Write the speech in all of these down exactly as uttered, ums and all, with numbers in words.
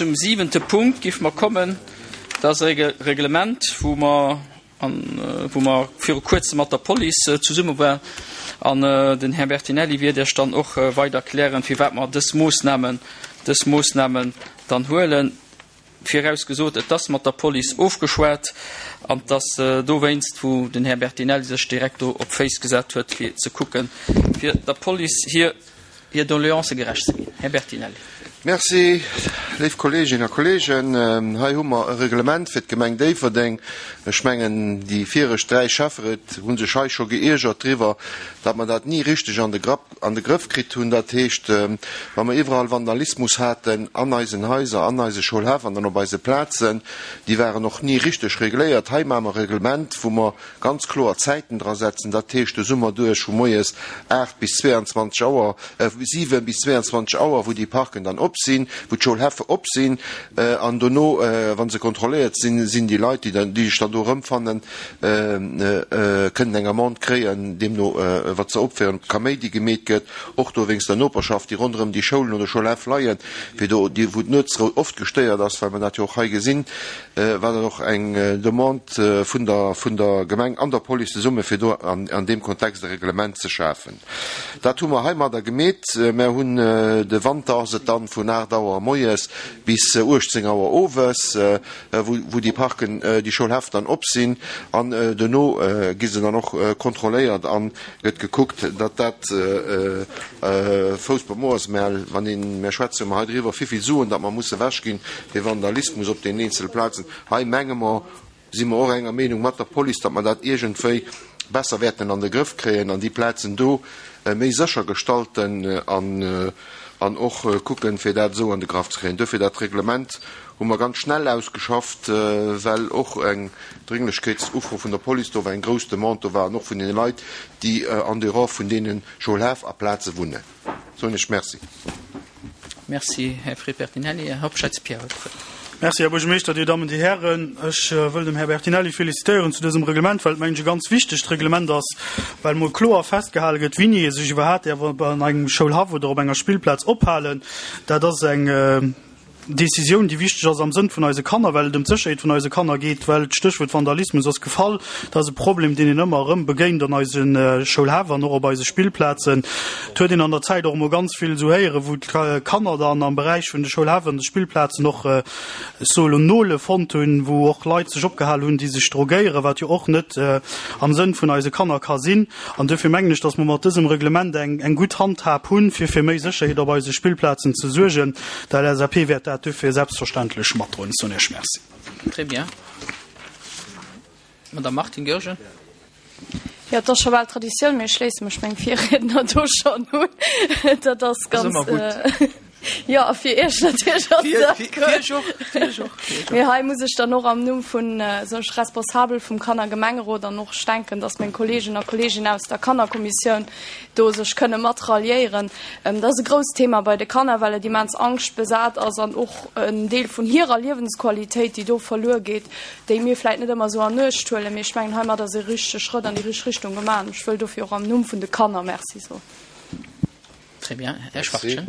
Zum siwente Punkt géife mer kommen. Dat ass e Reglement, wou mer, wou mer viru Kuerzem mat der Police zesumme waren. An den Här Bertinelli wäert Iech dann och weider erklären, firwat mer dës Moosnamen, dës Moosnamen dann huelen. Virausgesot, et ass mat der Police ofgeschwat an et ass dowéinst, wou den Här Bertinelli sech direkt do op d'Féiss gesat huet, fir ze kucken, fir der Police hir hir Doleancë gerecht ze ginn. Här Bertinelli. Merci, léif Kolleeginnen a Kolleegen. Hei hu mer e Reglement fir d'Gemeng Déifferdeng. Ech mengen, déi viregt dräi Schäfferéit hu sech hei scho geiergert driwwer, datt mer dat ni richteg an de Grapp, an de Grëff kritt hunn. Dat heescht, wa mer iwwerall Vandalismus haten an eisen Haiser, an eise Schoulhäff an dann op eise Plazen, déi waren och ni richteg regléiert. Hei maache mer e Reglement, wou mer ganz kloer Zäiten dra setzen. Dat heescht, de Summer duerch vu moies aacht bis zweeanzwanzeg Auer, siwe bis zweeanzwanzeg Auer, wou déi Parken dann op sinn, wou d'Schoulhäffe op sinn, an dono, wa se kontrolléiert sinn, sinn déi Leit, déi dann, déi sech dann do erëmfannen, kënnen eng Amende kréien, deemno wat se opféieren, ob Kaméidi gemeet gëtt, och do wéinst der Noperschaft, déi ronderëm déi Schoulen oder Schoulhäff leien, fir do, déi, wou d'Nuetsrou oft gestéiert ass, well mer dat jo och hei gesinn, war dat och eng Demande vun der, vun der Gemeng an der Police zesumme fir do an, an deem Kontext e Reglement ze schafen. Dat hu mer heimadder gemeet. Mer hunn de Wanter ass et dann vun aacht Auer moies bis uechtzéng Auer owes, wou, wou déi Parken, déi Schoulhäff dann op sinn. An duerno gi se dann och kontrolléiert an gëtt gekuckt, datt dat Fouss beim Ohr ass. Mä wann een, mer schwätze jo ëmmer hei driwwer, wéivill Suen datt mer musse wechginn fir Vandalismus op deenen eenzele Plazen. Hei menge mer, si mer och enger Meenung mat der Police, datt mer dat iergendwéi besser wäerten an de Grëff kréien an déi Plazen do méi sécher gestalten an och kucken, fir dat esou an de Graff ze kréien. Duerfir dat Reglement hu mer ganz schnell ausgeschafft, well och eng Dringlechkeetsufro vun der Police do war, eng grouss Demande do war an och vun deene Leit, déi en dehors vun deene Schoulhäff a Plaze wunnen. Soen ech Merci. Merci, Här Fred Bertinelli. Här Hobscheit Pierre huet d'Wuert. Merci, Här Buergermeeschter, Dir Dammen, Dir Hären. Ech wëll dem Här Bertinelli félicitéieren zu dësem Reglement, well et, mengen ech, e ganz wichtegt Reglement ass, well emol kloer festgehale gëtt, wéini ee sech iwwerhaapt däerf an engem Schoulhaff oder op enger Spillplaz ophalen. Dat ass eng Décisioun, déi wichteg ass am Sënn vun eise Kanner, well et ëm d'Sécherheet vun eise Kanner geet, well d'Stéchwuert Vandalismus ass gefall. Dat ass e Problem, deen een ëmmer erëm begéint an eise Schoulhäff an och op eise Spillplazen. Et huet een an der Zäit och emol ganz vill esou héieren, wou d'Kanner dann am Beräich vun de Schoulhäff an de Spillplazen och, ech soe lo, Nole fonnt hunn, wou och Leit sech opgehal hunn, déi sech drogéieren, wat jo och net am Sënn vun eise Kanner ka sinn. An duerfir mengen ech, dass mer mat dësem Reglement eng, eng gutt Handhab hunn, fir fir méi Sécherheet op eise Spillplazen ze suergen. D'LSAP wäert dat duerfir selbstverständlech matdroen. Ech soen Iech Merci. Très bien. Madame Martine Goergen. Jo, et ass scho bal Traditioun, mee ech schléisse mech mengem Virriedner do schonn un. Dat ass ganz. Ass ëmmer gutt. Jo, a fir Iech natierlech ass dat gutt. Fir Iech och, fir Iech och, fir Iech och. Mee hei muss ech dann och am Numm vun, soen ech, Responsabel vum Kannergemengerot an och, ech denken, dass meng Kolleegen a Kolleeginnen aus der Kannerkommissioun do sech kënne mat ralliéieren. Dat ass e grousst Thema bei de Kanner, well et immens angschtbesat ass an och en Deel vun hirer Liewensqualitéit, déi do verluer geet, déi mir vläicht net ëmmer esou an Uecht huelen. Mee ech mengen, heimat ass e richtege Schrëtt an déi richteg Richtung gemaach an ech wëll dofir och am Numm vun de Kanner Merci soen. Très bien. Här Schwachtgen.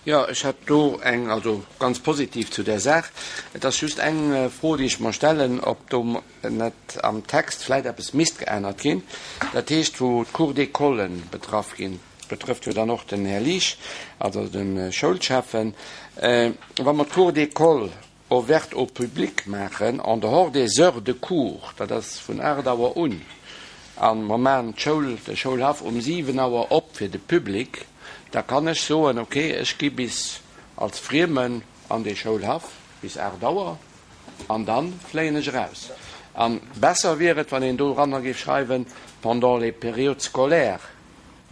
Jo, ech hätt do eng, also ganz positiv zu där Saach. Et ass just eng Fro, déi ech mer stellen, ob do net am Text vläit eppes misst geännert ginn. Dat heescht, wou d'Cours d'écolen betraff ginn, betrëfft jo dann och den Här Liesch, also de Schoulschäffen, wa mer d'Cours d'école ouverte au public maachen en dehors des heures de cours, dat ass vun aacht Auer un, a mer maachen d'Schoul, de Schoulhaff um siwen Auer op fir de Public, da kann ech soen, okay, ech gi bis als Friemen an dee Schoulhaff bis aacht Auer an da fléien ech eraus. A besser wier et, wann een doranner géif schreiwen, pendant les périodes scolaires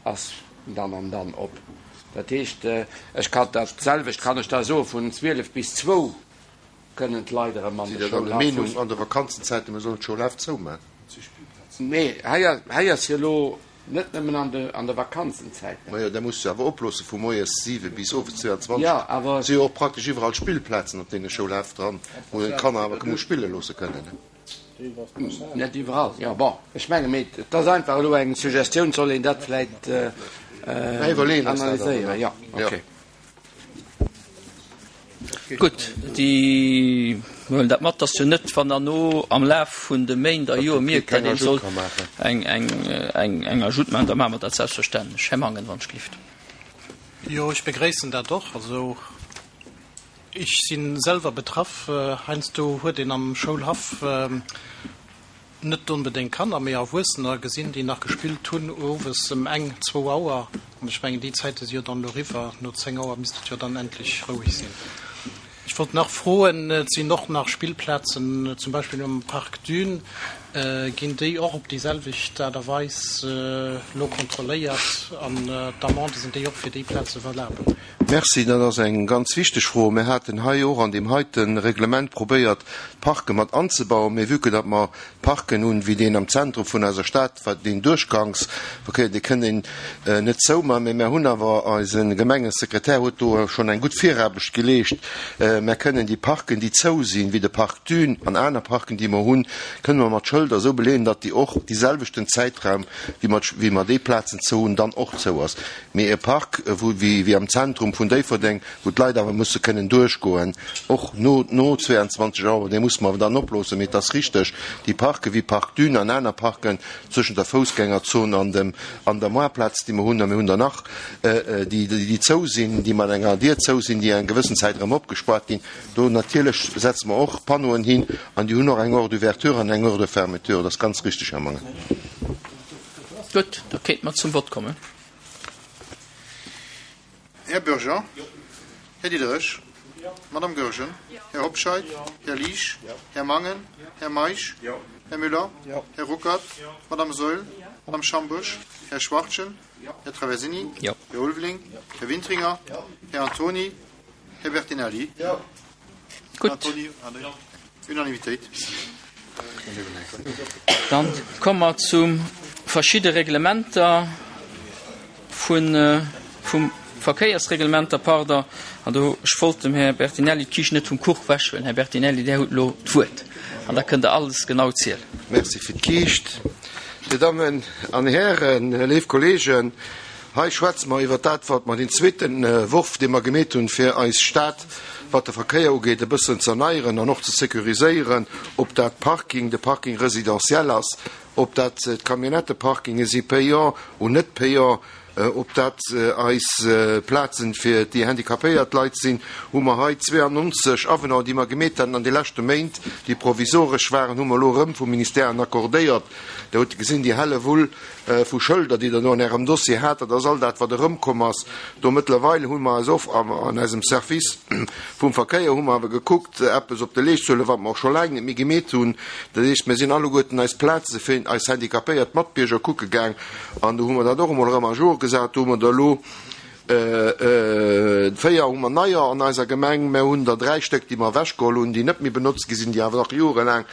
ass dann an dann op. Dat heescht, ech kann dat selwecht kann ech da soen, vun zwielef bis zwou kënnen d'Leit erëm an Sidd de Der dann der Schoulhaff. Meenung, an de Vakanzenzäite mir sollen d'Schoulhäff zoumaachen? Nee, hei ass, hei ass jo elo net nëmmen an de, an de Vakanzenzäiten. Majo, da muss se awer oploosse vu moies siwe bis owes zweianzwanzeg. Jo, awer. Et si jo och praktesch iwwerall Spillplazen op deene Schoulhäff dran, wou een d'Kanner awer muss spille loosse kënnen. Net iwwerall, jo. Bon, ech menge mee et ass einfach elo eng Suggestioun, soll een dat vläit Mä iwwerleeën eis dat awer analyséieren. nach. Jo, okay. Gutt, déi huelen dat mat, dass jo net, wann der no am Laf vun de Méint a Joer mierkt, datt een soll eng, eng, eng, eng Ajoute maachen, da maache mer dat selbstverständlech. Här Mangen, wann ech gelift. Jo, ech begréissen dat och. Also ech si selwer betraff. Heiansdo huet een am Schoulhaff net onbedéngt Kanner, mee Erwuessener gesinn, déi nach gespillt hunn owes ëm eng, zwou Auer. An ech mengen, déi Zäite si jo dann elo eriwwer. No zéng Auer misst et jo dann endlech roueg sinn. Ech wollt nach froen, et sinn och nach Spillplazen, zum Beispill um Parc Dune, ginn déi och op déi selwecht Aart a Weis elo kontrolléiert an d'Amendë, sinn déi och fir déi Plaze valabel? Merci, dat ass eng ganz wichteg Fro. Mir haten hei och an deem heite Reglement probéiert, d'Parke mat anzebauen, mee vue que datt mer Parken hunn, wéi deen am Zentrum vun eiser Stad, wat deen Duerchgangsverkéier, dee kënnt een net zouman, mee mir hunn awer, eise Gemengesekretär huet do schonn eng gutt Viraarbecht geleescht, mer kënnen déi Parken, déi zou sinn, wéi de Parc Dune an aner Parken, déi mer hunn, kënne mer mat Schëlder esou beleeën, datt déi och dee selwechten Zäitraum, wéi mer, wéi mer déi Plazen zou hunn, dann och zou ass. Mee e Park, wou, wéi, wéi am Zentrum vun Déifferdeng, wou d'Leit awer musse kënnen duerchgoen, och no, no zweiundzwanzeg Auer, dee musse mer awer dann oploossen. Mee et ass richteg, déi Parke wéi Parc Dune an aner Parken zwëschent der Foussgängerzon an dem, an der Moartplaz, déi mer hunn, a mir hunn der nach, déi, déi zou sinn, déi mat enger Dier zou sinn, déi eng gewëssen Zäit erëm opgespaart ginn, do natierlech setze mer och Panneauen hin an déi hunn och eng Heure d'ouverture an eng Heure de fermeture. Dat ass ganz richteg, Här Mangen. Gutt, da kéinte mer zum Vott kommen. Här Bürger? Här Diderich? Madame Goergen? Här Hobscheit? Här Liesch? Här Mangen? Här Meisch? Här Müller? Här Ruckert? Madame Saeul? Madame Schambusch? Här Schwachtgen? Här Traversini? Här Ulveling? Här Wintringer? Här Antoni? Här Bertinelli? Gutt. Antoni, Unanimitéit. Dann komme mer zu verschidde Reglementer vun, vum Verkéiersreglementer, pardon. An do, ech wollt dem Här Bertinelli d'Kiischt net vum Kuch wechhuelen. Här Bertinelli, Där hutt elo d'Wuert an da kënnt Der alles genau zielen. Merci fir d'Kiischt. Dir Dammen an Hären, léif Kolleegen, hei schwätze mer iwwert dat, wat mer deen zweete Worf, dee mer gemeet hunn, fir eis Stad, wat de Verkéier ugeet, e bëssen ze erneieren an och ze sécuriséieren, ob dat Parking, de Parking résidentiel ass, ob dat d'Camionnetteparkinge si payant ou net payant, ob dat eis Plazen fir déi handicapéiert Leit sinn, hu mer hei zweeannonzeg Avenants, déi mer gemeet haten an de leschte Méint, déi provisoresch waren, hu mer elo erëm vum Ministère accordéiert. Der hutt gesinn, déi helle Wull vu Schëlder, déi Der do an Ärem Dossier hat, dat ass all dat, wat erëmkomm ass. Do mëttlerweil hu mer eis och an eisem Service vum Verkéier hu mer awer gekuckt, eppes op de Leescht ze huelen, wat mer och scho laang net méi gemeet hunn. Dat heescht, mir sinn alleguerten eis Plaze fir eis handicapéiert Matbierger kucke gaang an do hu mer dat och emol erëm à jour gesat. Do hu mer der elo véier hu mer neier an eiser Gemeng. Mer hunn der dräi Stéck, déi mer ewechgeholl hunn, déi net méi benotzt gi sinn, déi awer nach jorelaang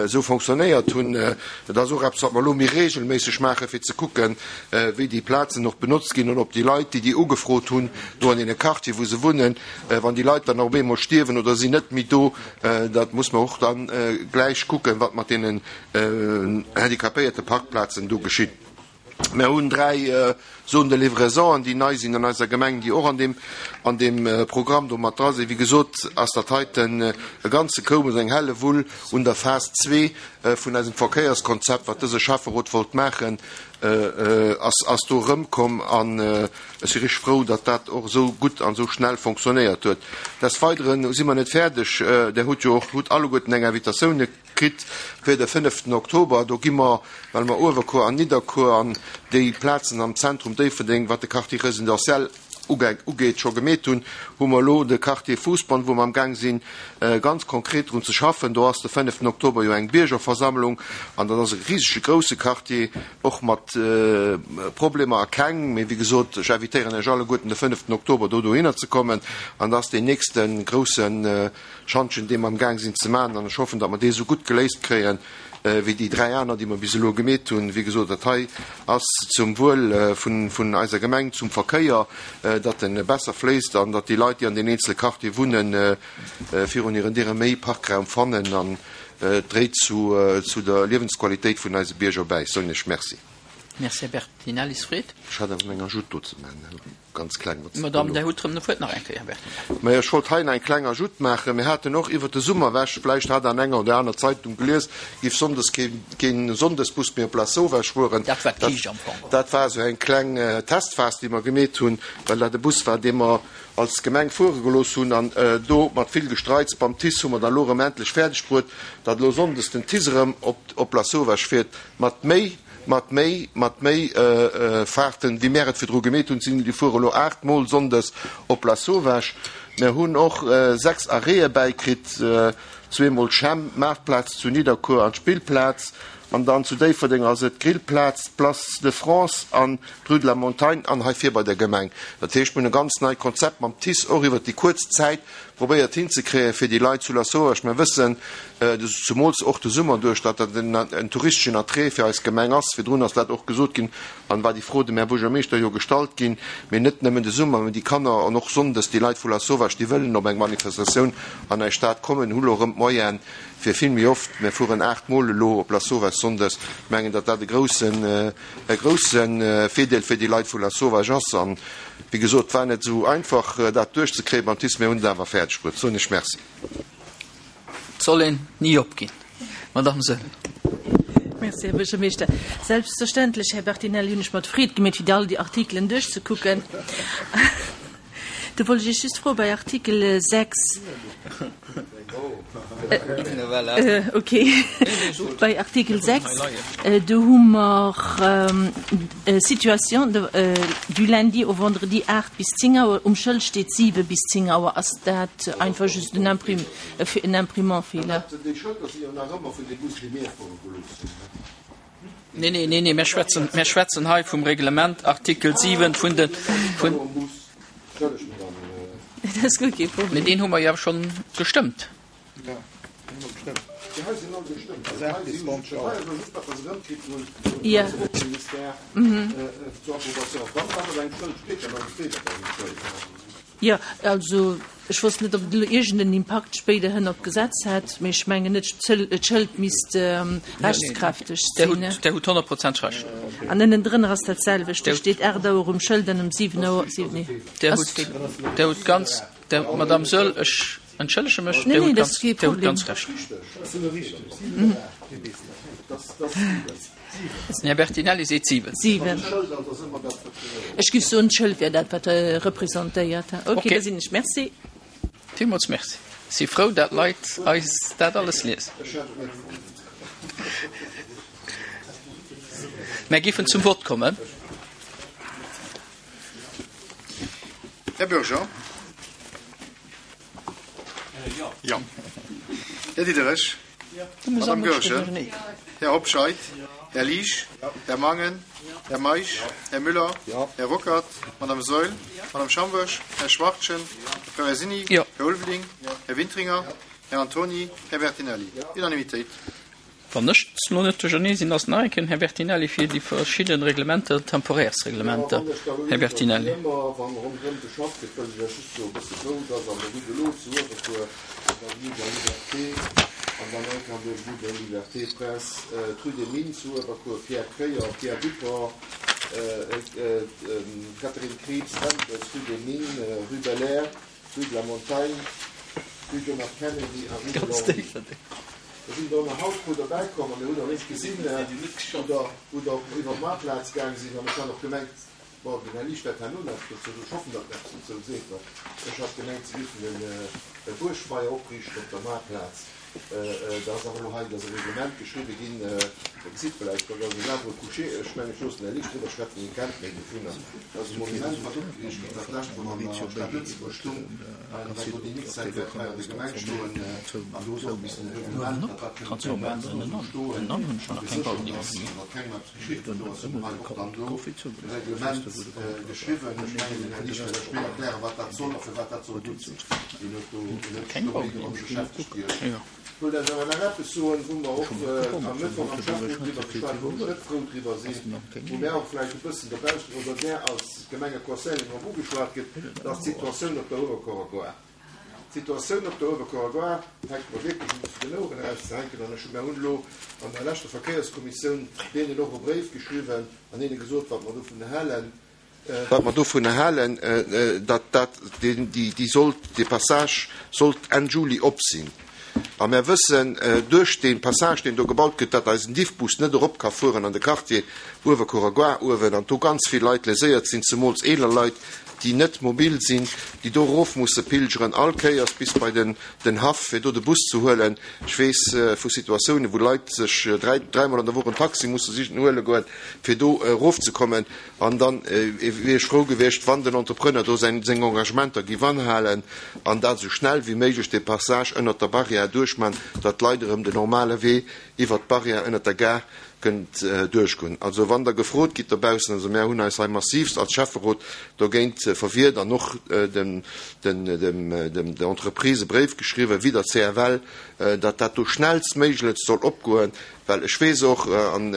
esou fonctionnéiert hunn. Dat ass och eppes, wat mer elo méi regelméisseg maachen, fir ze kucken, wéi déi Plazen och benotzt ginn an ob déi Leit, déi déi ugefrot hunn, do an deene Quartier, wou se wunnen, wann déi Leit dann op eemol stierwen oder sinn net méi do, dat muss mer och dann gläich kucken, wat mat deenen handicapéierte Parkplazen do geschitt. Mer hunn dräi Zones de livraison, déi nei sinn an eiser Gemeng, déi och an deem, an deem Programm do mat dra sinn. Wéi gesot, ass dat heiten e ganze Koup, also eng Hellewull un der Phas zwee vun eisem Verkéierskonzept, wat dëse Schäfferot wollt maachen, ass, ass do erëmkomm. An ech si richteg frou, datt dat och esou gutt an esou schnell fonctionnéiert huet. Des Weideren si mer net fäerdeg. Der hutt jo och, hutt alleguerten eng Invitatioun kritt fir de fënneften Oktober. Do gi mer, well mer Uewerkuer an Nidderkuer an déi Plazen am Zentrum Déifferdeng, wat de Quartier résidentiel ugeet, scho gemeet hunn, hu mer elo de Quartier Fousbann, wou mer am Gaang sinn, ganz konkret drun ze schaffen. Do ass de fënneften Oktober jo eng Biergerversammlung an dat ass e risege grousse Quartier, och mat Problemer a keng. Mee wéi gesot, ech invitéieren Iech alleguerten de fënneften Oktober do dohinner ze kommen an dat ass deen nächste grousse Schantjen, dee mer am Gaang sinn ze maachen an ech hoffen, datt mer dee sou gutt geléist kréien, wéi déi dräi aner, déi mer bis elo gemeet hunn. Wéi gesot, dat hei ass zum Wuel vun, vun eiser Gemeng, zum Verkéier, datt en besser fléisst an datt déi Leit, déi an den eenzele Quartier wunnen, virun hiren Diere méi Parkraum fannen an dréit zu, zu der Liewensqualitéit vun eise Bierger bäi. Soen ech Merci. Merci, Här Bertinelli. Fred? Ech hat awer eng Ajout do ze maachen, ganz kleng. Madame, Där hutt erëm de Wuert nach eng Kéier, Här Bertinelli. Mä ech wollt hei nach eng kleng Ajout maachen. Mir haten och iwwert de Summer ewech, vläicht hat Der an enger oder aner Zeitung gelies, géif sonndes kee, keen Sonndesbus méi op Lasauvage fueren. Dat war d'Kiischt am Fong. Dat war esou eng kleng Testphas, déi mer gemeet hunn, well dat e Bus war, dee mer als Gemeng fuere gelooss hunn. An do mat vill Gestreits beim TICE hu mer da lo erëm endlech fäerdeg bruet, datt elo sonndes den TICE erëm op, op Lasauvage fiert, mat méi, mat méi, mat méi Fahrten, wéi mär et virdru gemeet hunn. Sinn, déi fuere elo aacht Mol sonndes op Lasauvage. Mär hunn och sechs Arrêtë bäikritt, zweemol d'Schämm, d'Maartplaz zu Nidderkuer an d'Spillplaz. An dann zu Déifferdeng ass et d'Grillplaz, d'Place de France an d'Rue de la Montagne an hei vir bei der Gemeng. Dat heescht, mir hunn e ganz neit Konzept mam TICE och iwwert déi kuerz Zäit probéiert hinzekréien, fir déi Leit zu Lasauvage, mir wëssen, zumools och de Summer duerch, datt dat en touristeschen Attrait fir eis Gemeng ass. Virdrun ass dat och gesot ginn an war déi Fro dem Här Buergermeeschter jo gestallt ginn. Mee net nëmmen de Summer, mee déi Kanner an och sonndes déi Leit vu Lasauvage, déi wëllen op eng Manifestatioun an eis Stad kommen, hu lo erëm d'Moyene fir vill méi oft, mir fueren aacht Mol elo op Lasauvage sonndes, ech mengen, datt dat e groussen, e grousse Virdeel fir déi Leit vu Lasauvage ass. An, wéi gesot, et war net esou einfach, dat duerchzekréien beim TICE, mir hunn et awer fäerdeg bruet. Soen ech Merci. Et soll een ni opginn. Madame Saeul. Merci, Här Buergermeeschter. Selbstverständlech, Här Bertinelli, hunn ech mer d'Freed gemeet, fir all déi Artikelen duerchzekucken. Do wollt ech Iech just froen, bei Artikel sechs, okay, bei Artikel sechs, do hu mer Situation du lundi au vendredi aacht bis zéng Auer, um Schëld steet siwe bis zéng Auer. Ass dat einfach just en Imprim, en Imprimentfeeler? Déi Schëlder si jo nach ëmmer vun deem Bus, dee mir fuere gelooss hunn. Nee, nee, nee, nee, mir schwätzen, mir schwätzen hei vum Reglement, Artikel siwen vun de, vun. Dat ass guer kee Problem. Mee deen hu mer jo schonn gestëmmt. Jo. Jo, also ech wosst net, ob et elo iergend en Impakt spéiderhin op d'Gesetz hätt, mee ech mengen net, d'Schëld misst rechtskräfteg sinn. Der hutt honnert Prozent Recht. An ënnendrënner ass dat selwecht, do steet aacht Auer um Schëld an um siwen Auer, nee. Der hutt ganz, Madame Saeul, ech entschëllege mech, Der hutt ganz, Der hutt ganz Recht. Den Här Bertinelli seet siwen. Siwen. Ech géif soen, d'Schëld wär dat, wat e representéiert. Okay, da sinn ech. Merci. Villmools merci. Si frou, dat Leit eis dat alles liesen. Mär géifen zum Vott kommen. Här Bürger. Jo. Här Diderich. Madame Goergen. Här Hobscheit. Här Liesch. Här Mangen. Här Meisch. Här Müller. Här Ruckert. Madame Saeul. Madame Schambourg. Här Schwachtgen. Här Peressini. Här Ulveling. Här Wintringer. Här Antony. Här Bertinelli. Unanimitéit. Wann ech elo net duerchernee sinn, ass nach eng Kéier den Här Bertinelli fir déi verschidde Reglementer, Temporärsreglementer. Här Bertinelli. Da sinn der nach haut puer derbäi komm a mir hunn och eréischt gesinn, wou der, wou der iwwer d'Maartplaz gaang sinn. An ech hat och gemengt, bon, den Här Liesch wäert herno nach eppes dozou soen, ech hoffen, datt en eppes dozou seet, well ech hat gemengt, se géifen e Buergfeier opriichten op der Maartplaz. Da ass awer elo hei, da ass e Reglement geschriwwe ginn, Der gesitt vläicht, dat ass en Arbre couché, ech mengen, ech loossen den Här Liesch driwwer schwätzen, hie kennt méi dovunner. Dat ass e Monument, wat opgeriicht gëtt, dat d'lescht Woch an der Stad Lëtzebuerg stung. An dat do déi nächst Zäit wäert hei an der Gemeng stoen. An do ass och e bëssen e Reglement, datt dat kënnt op der Plaz do stoen a geséchert ass an datt kengem eppes geschitt. An do ass eben hei och dann elo e Reglement geschriwwen. Ech mengen, den Här Liesch wäert lech méi erklären, wat dat soll a firwat dat soll gutt sinn. Hien huet do, hien huet sech do méi domat beschäftegt wéi ech. Ech wëllt Iech awer nach eppes soen, wou mer och am Mëttwoch am Schäfferot driwwer geschwat hunn, wou ech net frou driwwer sinn, wou mär och vläicht e bëssen dobaussen oder där als Gemengeconseil drop ugeschwat gëtt, dat ass d'Situatioun op der Uewerkuerer Gare. D'Situatioun op der Uewerkuerer Gare fänkt mer wierklech un zu den Oueren erauszehänken an ech hu, mär hunn elo an der leschter Verkéierskommissioun deenen och e Bréif geschriwwen an hinne gesot, wat mer dovun halen, wat mer dovun halen, datt dat, déi, déi sollt, dee Passage sollt Enn Juli op sinn. A mär wëssen duerch dee Passage, deen do gebaut gëtt, datt eisen Diffbus net erop ka fueren an de Quartier Uewerkuerer Gare uewen an do ganz vill Leit léséiert sinn, zemools eeler Leit, déi net mobil sinn, déi do erof musse pilgeren all Kéiers bis bei den den Haff, fir do de Bus ze huelen. Ech weess vu Situatiounen, wou Leit sech dräi, dräimol an der Woch en Taxi musse sichen huele goen, fir do erofzekommen. An dann wier ech frou gewiescht, wann den Entrepreneur do säin, seng Engagementer géif anhalen an dat esou schnell wéi méiglech dee Passage ënnert der Barrière duerchman, datt d'Leit erëm den normale Wee iwwert d'Barrière ënnert der Gare kënnt duerchgoen. Also wann Der gefrot gitt dobaussen, also mär hunn eis hei massivst als Schäfferot dogéint verwiert an och dem, den, dem, dem, der Entreprise e Bréif geschriwwen, wéi der C F L, datt dat do schnellstméiglechst soll opgoen, well ech weess och, an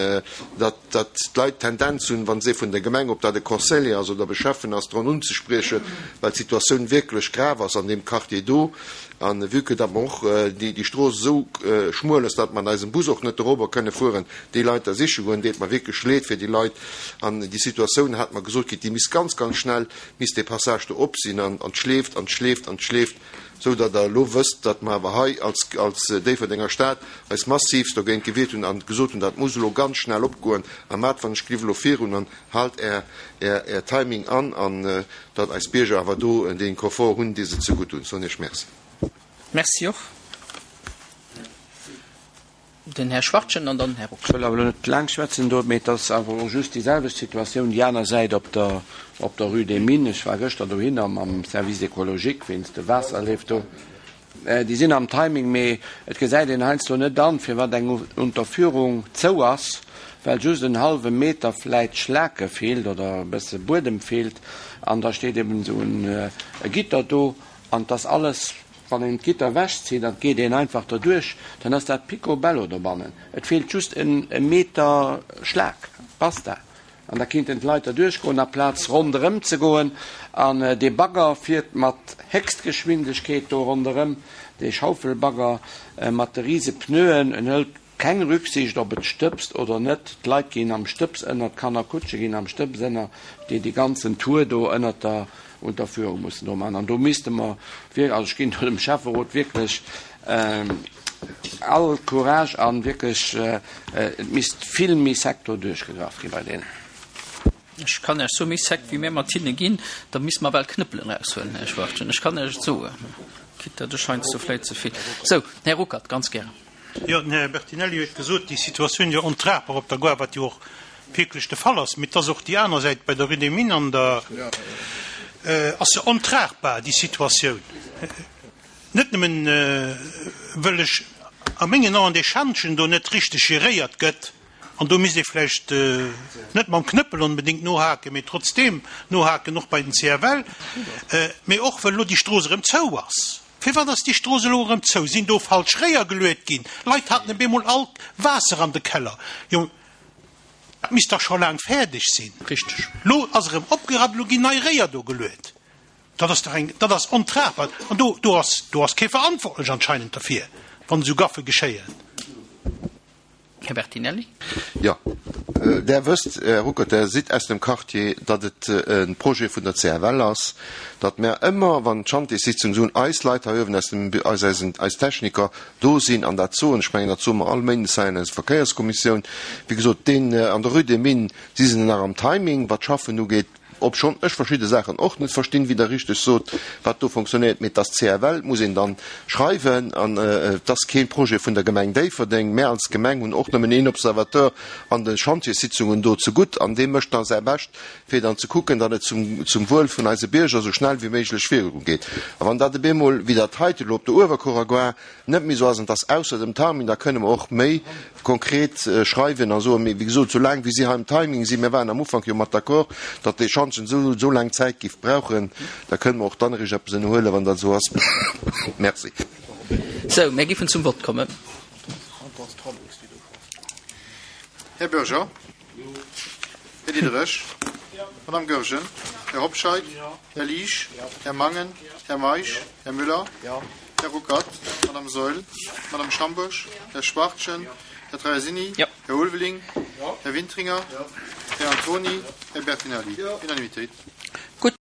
datt, datt d'Leit d'Tendenz hunn, wa se vun der Gemeng, ob dat e Conseiller ass oder e Schäffen ass, drun unzespriechen, well d'Situatioun wierklech grav ass an deem Quartier do. An vue que datt mer och déi, déi Strooss esou schmuel ass, datt mer an eisem Bus och net dorobber kënne fueren, déi Leit da siche goen, deet mer wierklech leed fir déi Leit. An déi Situatioun hat mer gesot kritt, déi misst ganz, ganz schnell, misst dee Passage do op sinn an, an d'schleeft an d'schleeft an d'schleeft, sou datt Der elo wësst, datt mer awer hei als, als Déifferdenger Stad eis massivst dogéint gewiert hunn an gesot hunn, dat muss elo ganz schnell opgoen a mat wann ech gleef elo virun an haalt Är, Är, Är Timing an an datt eis Bierger awer do dee Confort hunn, dee se zegutt hunn. Soen Iech Merci. Merci och. Den Här Schwachtgen an dann Här Ruck. Ech wëll awer elo net laang schwätzen do, mee et ass awer och just déi selwecht Situatioun déi aner Säit op der, op der Rue des Mines. Ech war gëschter dohinner mam Service écologique wéinst de Waasserleef do. Déi sinn am Timing, mee et gesäit een heiansdo net an, firwat eng Unterführung zou ass, well just en hallwe Meter vläit Schlake feelt oder e bësse Buedem feelt an da steet eben esou en Gitter do an 't ass alles. Wann een d'Gitter ewechzitt an et geet een einfach derduerch, dann ass dat picobello dobannen. Et feelt just e Meter Schlag, basta. An da kinnten d'Leit derduerch goen, aplaz ronderëm ze goen. An dee Bagger fiert mat Héchstgeschwindegkeet do ronderëm, dee Schaufelbagger mat de rise Pneuen. En hëlt keng Rücksicht, ob et stëbst oder net. D'Leit ginn am Stëbs ënner, d'Kannerkutsche ginn am Stëbs ënner, déi dee ganzen Tour do ënnert der Unterführung mussen do maachen. An do misste mer wierklech, also ech ginn do dem Schäfferot wierklech all Courage an wierklech, et misst vill méi sec do duerchgegraff gi bei deenen. Ech kann Iech soen, méi sec wéi mir mat hinne ginn, da misste mer bal Knëppelen eraushuelen, Här Schwachtgen. Ech kann Iech et soen. Quitte datt ech heiansdo vläit ze vill. Sou, Här Ruckert, ganz gären. Jo, den Här Bertinelli huet gesot, déi Situatioun wier ontragbar op der Gare, wat jo och wierklech de Fall ass. Mee et ass och déi aner Säit, bei der Rue des Mines an der ass se ontragbar, déi Situatioun. Net nëmmen, wëll ech a mengen Aen dee Schantjen do net richteg geréiert gëtt, an do misst ee vläicht net mam Knëppel onbedéngt nohaken, mee trotzdeem nohaken, och bei den C F L, mee och wëll elo déi Strooss erëm zou ass. Firwat ass déi Strooss elo erëm zou? Sinn do falsch Réier geluet ginn? Leit haten op eemol all Waasser an de Keller. Jo, dat misst dach scho laang fäerdeg sinn. Richteg. Lo ass erëm opgerappt, elo ginn nei Réier do geluet. Dat ass dach eng, dat ass ontragbar. An do, do ass, do ass kee verantwortlech anscheinend derfir, wann esou Gaffe geschéien. Här Bertinelli. Jo, Der wësst, Här Ruckert, Der sidd aus dem Quartier, datt et e Projet vun der C F L ass, datt mär ëmmer, wann d'Chantierssitzung soen, eis Leit hei uewen aus dem, eis, eisen, eis Techniker do sinn an dat soen. Ech mengen, dat soe mer all Méindes hei an eiser Verkéierskommissioun. Wéi gesot, deen an der Rue des Mines si se nach am Timing, wat d'Schaffen ugeet, obschonn ech verschidde Saachen och net verstinn, wéi Der richteg sot, wat do fonctionnéiert. Mee et ass C F L, muss een dann schreiwen, an et ass kee Projet vun der Gemeng Déifferdeng. Mär als Gemeng hunn och nëmmen een Observateur an de Chantierssitzungen do zegutt, an dee mécht da säi Bescht, fir dann ze kucken, datt et zum, zum Wuel vun eise Bierger esou schnell wéi méiglech virugeet. A wann dat op eemol, wéi dat heite elo op der Uewerkuerer Gare, net méi esou ass, an et ass ausser dem Timing, da kënne mer och méi konkret schreiwen a soen, mee wéi gesot, soulaang wéi si hei am Timing sinn, mir waren am Ufank jo mat d'accord, datt dee Schantjen esou, esou laang Zäit géif brauchen, da kënne mer och dann eréischt eppes ënnerhuelen, wann dat esou ass. Merci. Sou, mir géifen zum Vott kommen. Här Bürger. Här Diderich. Madame Goergen. Här Hobscheit? Här Liesch? Här Mangen? Här Meisch? Här Müller? Här Ruckert? Madame Saeul? Madame Schambourg? Här Schwachtgen? Här Traversini? Här Ulveling? Här Wintringer? Här Antoni? Här Bertinelli? Unanimitéit.